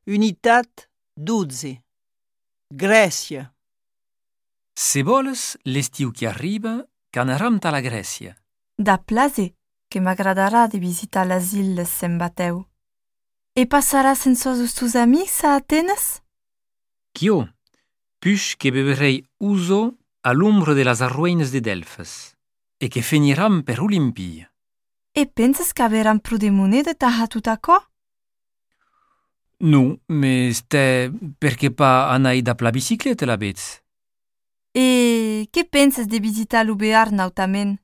Unitat 12. Grècia. Se voles, l'estiu que arriba, qu'anaram ta la Grècia. Da plase, che m'agradarà di visitar las illes San Bateu. E passarà sense os tus amics a Atenes? Ch'io, pus che beverei uso a l'ombra de las arruïnes de Delfes, e che finiram per Olimpia. E penses che averan pro de monede taha tut acò? Nu, me ste perché pa anai da la bicicleta la vez. E che penses de visitar l'Ubear nautament?